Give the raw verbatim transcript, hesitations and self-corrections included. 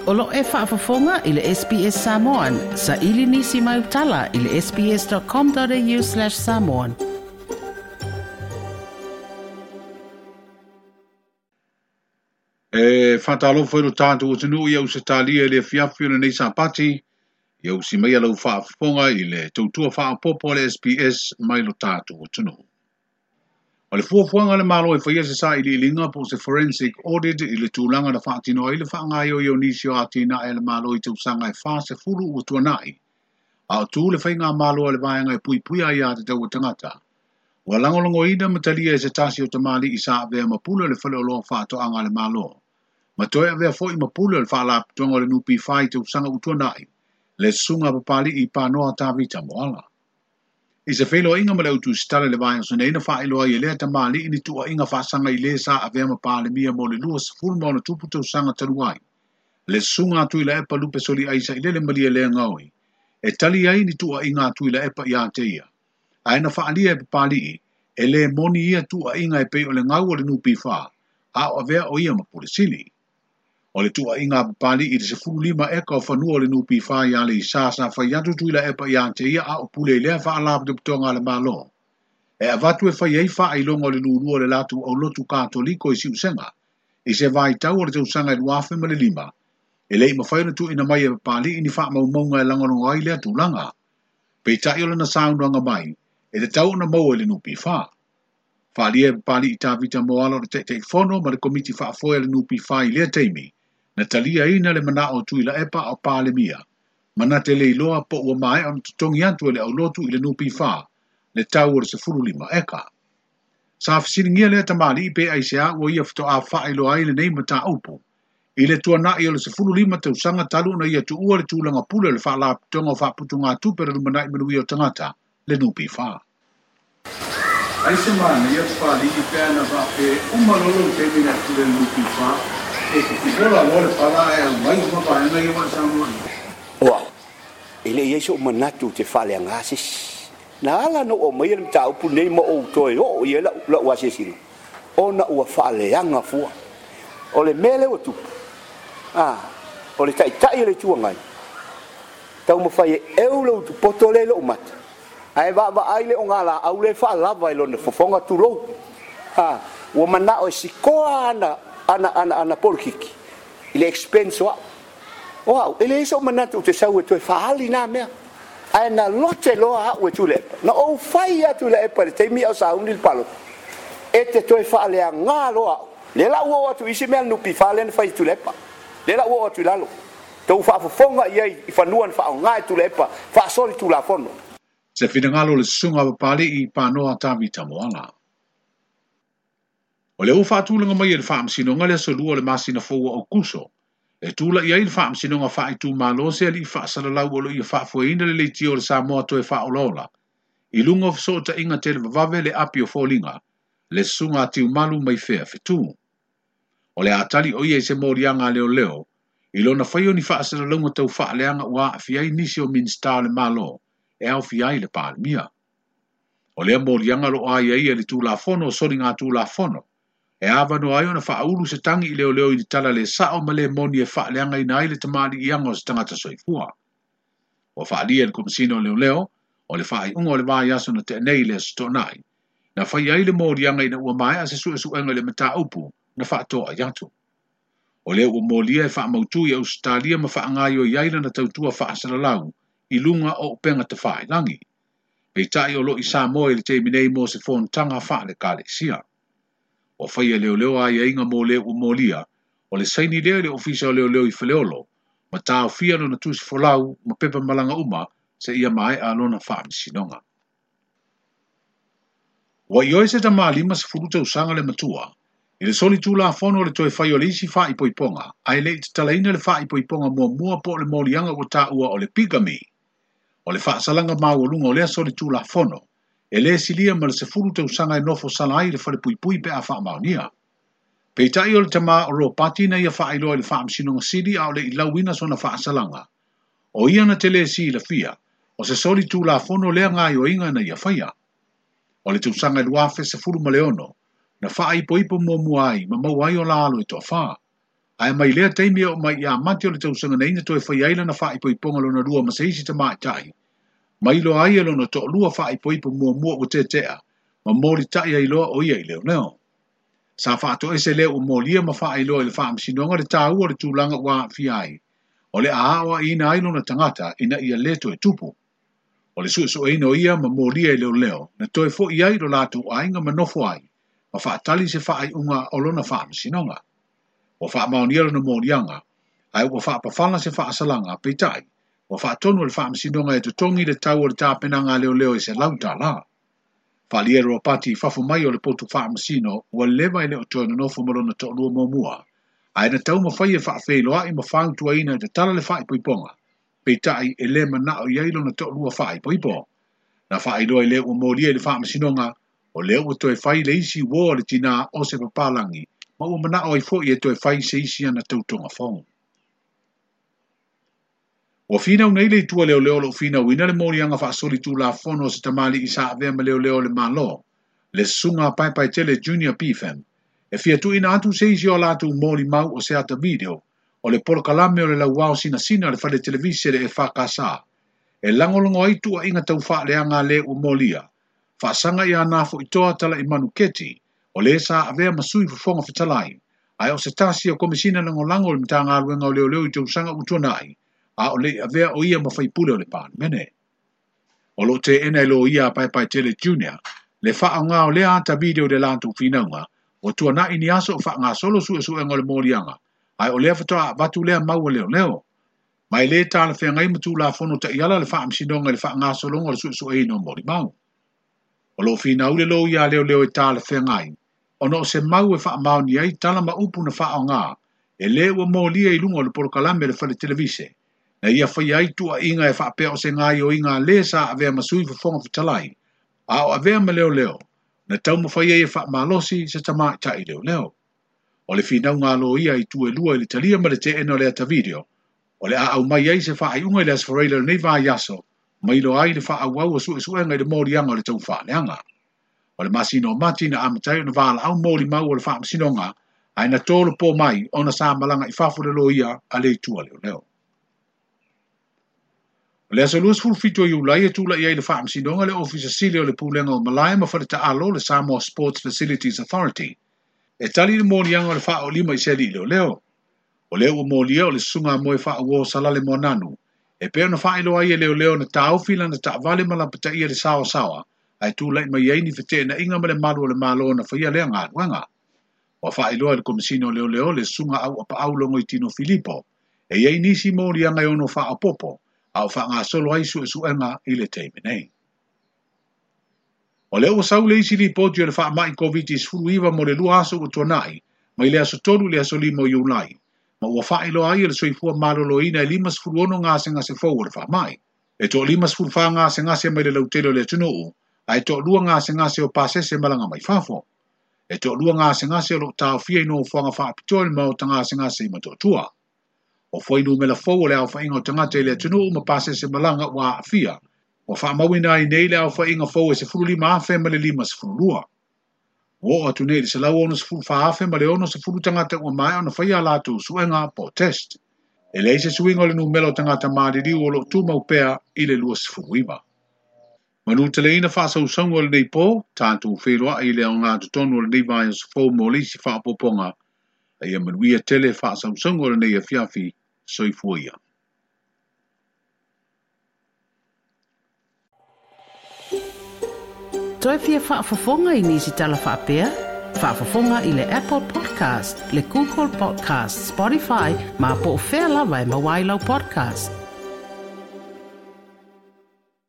O lo e faafofoga i le S B S Samoan, sa ili nisi mai utala i le sbs.com.au slash samoan. E whātalofa i lo tātou o tunu i au se tālia i le fiafi o le nei sāpati, i au si mai alau faafofoga i le tautua faapopo le S B S mai lo tātou o tunu. O le fuafuaga le malo e whaia se sa i lilinga po se forensic audit i le tūlanga na whaatino ai le whaangaio i o nisi o ātina e le malo i tausaga e wha se fulu ua tuanai. A o tū le whainga malo a le vaenga e pui pui ai a te tau tangata. Ua langolongoina matalia e se tasi o tamali i sa avea mapule le whale o loa whaatoanga le malo. Ma toe avea foi mapule le whaalaputonga o le nupi whai tausaga utuanai. Le sunga papali i pānoa Tavita Moala. I se whelo inga ma le utu stale le vai o sone ina whaeloa i lea tamali ini tua inga whaasanga i le sa avea ma pālemia mo le lua sefulu ma ona tupu tausaga talu ai. Le sunga atu i la epa lupe soli aisa i lele malia lea ngaoi. E tali ai ni tua inga atu i la epa i a te ia. Ae na whaalia e papali'i, e le moni ia tua inga e pei o le ngau o le nupi wha, a o avea o ia mapule sili. O le tua inga papali i le sefulu lima eka o fanua o le nupi wha i ale i sa sa whai atu tui la epa i a te ia a o pule i lea whaalapitotoga le malo. E avatu e whai ei wha i longa o le nunua le latu au lotu katoliko i siusenga. I se vai tau o le tausaga i luafe ma le lima. E lei mawhai na tu ina mai e papali i ni wha maumaunga e langalonga ai lea tūlanga. Peitai o lana saunanga mai, e te tau na maua i le nupi wha. Whaalia e papali i Tavita Moala o le teitei fono ma le komiti whaafoe le nupi wha i lea teimi. Na talia ina le mana o tui la epa o pālemia. Mana te leiloa po ua mae ona tutongi atu e le aulotu i le nupi wha, le tau o le sefulu lima eka. Sa whasilingia lea tamali i pe aisea ua ia whatoa whaeloa ai le nei mata upu. I le tuanai o le sefulu lima tausaga talu na ia tuua le tūlanga pule le whaalaputonga o whaaputunga tupe le lumanai manuia o tangata, le nupi wha. Aise mana ia whaali i pēna wha pe umalolo te mina tule nupi wha. E te ola loa le pala e au mai uma vaega ia ua saunoa. Oa, e le iai so'u manatu te faaleagā sesi. Na ala na ou aumaia le mataupu nei ma ou toe oo i ai la'u la'u asiasiga, ona ua faaleaga fua. O le mea lea ua tupu, a, o le ta'ita'i o le itu agai, taumafai e eu le utupoto lea i lo'u mata, ae vaavaai le ogalā'au lea e faalava i lona fofoga tulou. A, ua mana'o e sikoa ana ana ana ana polokiki i le expense o a'u. O a'u, e leai so'u manatu ou te sau e toe faali nā mea. Ae na lote loa a'u e Tuilaepa. Na ou fai atu i Laepa i le taimi a o sauni le palota. E te toe faaleagā loa a'u. Le la'u oo atu isi mea le nupi wha lea na fai i Tuilaepa. Le la'u oo atu i lalo. Tou faafofoga i ai i fanua na faaogā e Tuilaepa, faasoli Tulafono. Se finagalo le susuga papali'i pānoa Tavita Moala. O le ua faatulaga mai e le faamasinoga le aso lua o le masina fou o Aukuso. E tula i ai le faamasinoga faaitumalo se ali'i faasalalau o lo ia faafoeina le leitia o le Samoa toe faaolaola. I luga o fesootaiga televavave le api o foliga, le susuga a Tiumalu mai fea fetū. O le atali o ia i se moliaga a leoleo, i lona fai o ni faasalalauga tau faaleaga ua aafia ai nisi o Minista o le Malo, e aofia ai le Palemia. O lea moliaga lo ai ai e le Tulafono o soliga Tulafono, e awanoa ai ona whaaulu se tangi i leo leo i tala le sao ma le moni e faaleagaina ai le tamaliiaga o se tagata soifua. Ua faalia e le Komisina o Leoleo, o le faaiuga o le vaiaso na te'enei le aso to'onai. Na fai ai le moliaga ina ua maea se suesuega i le mataupu na faatoa ai atu. O lea ua molia e faamautū i Ausetalia ma faagaioi ai lana tautua faasalalau i luga o upega tafailagi. Peitai o lo i Samoa i le taimi nei mo se fonotaga faale-ekalesia. O whai e leo leo ai ainga mō leo ua molia, o le saini lea i le ofisa o leo leo i Faleolo, ma tāofia lona tusi folau ma pepa malanga uma se ia maea lona faamasinoga. Ua ioi se tamalima sefulu tausaga le matua, i le soli Tulafono o le toe fai o le isi faaipoipoga, ae le'i tatalaina le faaipoipoga muamua po o le moliaga ua taua o le bigamy. O le faasalaga maualuga o lea soli Tulafono, e lē silia ma le sefulu tausaga e nofo sala ai le falepuipui pe a faamaonia. Peitai o le tamā o Ropati na ia faailoa i le faamasinoga sili a o le ilauina sona faasalaga. O ia na te lē silafia, o se soli Tulafono lea gaioiga na ia faia. O le tausaga i luafe sefulu ma le ono, na faaipoipo muamua ai ma maua ai o la alo e toafā. Ae mai lea taimi e oo mai ia Mati o le tausaga nei na toe faia ai lana faaipoipoga lona lua ma se isi tamaitai. Ma iloa ai e lona toalua faaipoipo muamua ua tetea, ma molitai ai loa o ia i leoleo. Sa faatoese lea ua molia ma faailoa i le faamasinoga le taua o le tulaga ua aafia ai. O le a aoaiina ai lona tagata ina ia le toe tupu. O le suesueina o ia ma molia i leoleo, na toe fo'i ai lo latou aiga ma nofo ai, ma faatali se faaiuga o lona faamasinoga. Ua faamaonia lona moliaga, ae ua faapafala se faasalaga, peitai, ua faatonu e le faamasinoga e totogi le tau o le tapenaga a leoleo e selau tālā. Faaalia e Ropati i fafo mai o le potu faamasino, ua leva e le o toe nonofo ma lona toalua muamua, ae na taumafai e faafeiloai ma fautuaina e tatala le faaipoipoga, peitai e le manao i ai lona toalua faaipoipo. Na faailoa i le ua molia i le faamasinoga, o lea ua toe fai le isi uo a le tinā o se papalagi, ma ua manao ai foi e toe fai se isi ana tautoga fou. Ua finau nei le itu a leoleo o loo finauina le moliaga faasolitulafono o se tamalii sa avea ma leoleo o le Malo, le susuga a Paepaetele Junior P F M, e fia tuuina atu se isi o a latou molimau o se ata video o le polokalame o le lauao sinasina a le fale televise le E F K S e lagolago ai tuuaiga tau faaleaga a le ua molia, faasaga ia Nafo'itoa Tala'imanu Keti, o le sa avea ma sui fofoga fetalai, ae o se tasi o Komisina Lagolago o le Matagaluega o Leoleo i tausaga ua tuanai, a o le'i avea o ia ma faipule o le Palemene. O loo teena e loia a Paepaetele Junior le faaoga o lea ata video i le latou finauga, ua tuana'i ni aso o faagasolo suesuega o le moliaga, ae o lea faatoa avatu lea mau a leoleo. Ma e lē talafeagai ma tulafono ta'iala le faamasinoga i le faagasologa o le suesueina o molimau. O loo finau le loia a leoleo e talafeagai, ona o se mau e faamaoni ai tala ma upu na faaoga e lē ua molia i luga o le polokalame le fale televise, na ia faia ai tuuaiga e faapea o se gaioiga a lē sa avea ma sui fofoga fetalai, a o avea ma leoleo, na taumafai ai e faamalosi se tamaita'i leoleo. O le finauga a loia i tu e lua i le talia ma le teena o le ata video, o le a aumai ai se faaiuga i le Aso Faraile o lenei vaiaso, ma iloa ai le faaauau o suesuega i le moliaga o le tau faaleaga. O le masina o Mati na amata ai ona valaau molimau o le faamasinoga, ae na tolopo mai ona sa malaga i fafo le loia a le itu a leoleo. O le aso luasefulu fitu o Iulai e tula'i ai le faamasinoga le Ofisa Sili o le Pulega o Malae ma Faletaalo le Samoa Sports Facilities Authority, e tali le moliaga o le faaolima i se ali'i leoleo. O lea ua molia o le susuga a Moe Faauo Salale Moananu, e pei ona faailoa ai e leoleo na taofi lana taavale ma lapataia le saoasaoa, ae tula'i mai ai ni feteenaiga ma le malu o le Malo na faia lea galuega. Ua faailoa e le Komisina o Leoleo le susuga Auapaau Logoitino Filipo, e i ai nisi moliaga e ono faaopopo, a o faagasolo ai suesuega i le taimi nei. O lea ua sau le isi lipoti o le faama'i Koviti sefuluiva mo le lua aso ua tuana'i, mai le aso tolu i le aso lima o Iulai, ma ua faailoa ai e le Soifua Maloloina e limasefulu ono gasegase fou o le faama'i. E toalimasefulufa gasegase mai le lautele o le atunuu, ae toalua gasegase o pasese malaga mai fafo. E toalua gasegase o loo taofia i nofoaga faapitoa i le maota gasegase i Motootua. O fuainumera fou o le aofaiga o tagata i le atunuu ma pasese malaga ua aafia, ua faamauina ai nei le aofaiga fou e sefululima afe ma le limasefululua. Ua oo atu nei i le selau onosefulu fa afe ma le onosefulu tagata ua maea ona faia a latou suega po o test. E leai se suiga o le numera o tagata maliliu o loo tumau pea i le luasefuluiva. Manuteleina faasausauga o lenei po, tatou feiloai i le aoga totonu o lenei vaiaso fou mo le isi faaopoopoga, a ia manuia tele faasausauga o lenei afiafi. Soifua ia. Toe fia faafofoga i nisi tala faapea? Faafofoga i le Apple Podcast, le Google Podcast, Spotify, ma po o fea lava e maua ai lau podcast.